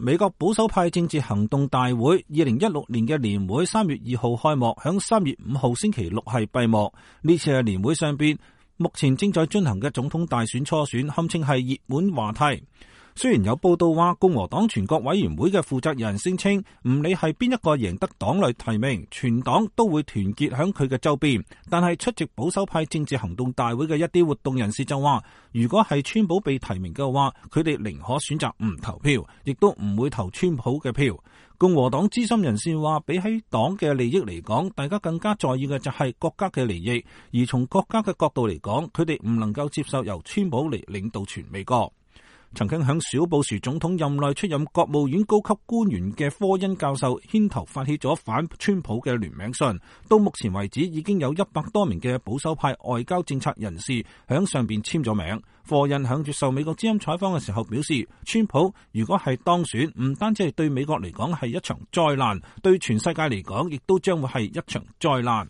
美國保守派政治行動大會2016年嘅年會3月2號開幕，響3月5號星期六係閉幕。呢次嘅年會上邊，目前正在進行嘅總統大選初選堪稱係熱門話題。雖然有報道話共和黨全國委員會嘅負責人聲稱，唔理係邊一個贏得黨內提名，全黨都會團結響佢嘅周邊。但係出席保守派政治行動大會嘅一啲活動人士就話，如果係川普被提名嘅話，佢哋寧可選擇唔投票，亦都唔會投川普嘅票。共和黨資深人士話，比起黨嘅利益嚟講，大家更加在意嘅就係國家嘅利益，而從國家嘅角度嚟講，佢哋唔能夠接受由川普嚟領導全美國。曾經響小布殊總統任內出任國務院高級官員嘅科恩教授牽頭發起咗反川普嘅聯名信，到目前為止已經有100多名嘅保守派外交政策人士響上邊簽咗名。科恩響接受美國之音採訪嘅時候表示，川普如果係當選，唔單止係對美國嚟講係一場災難，對全世界嚟講亦都將會係一場災難。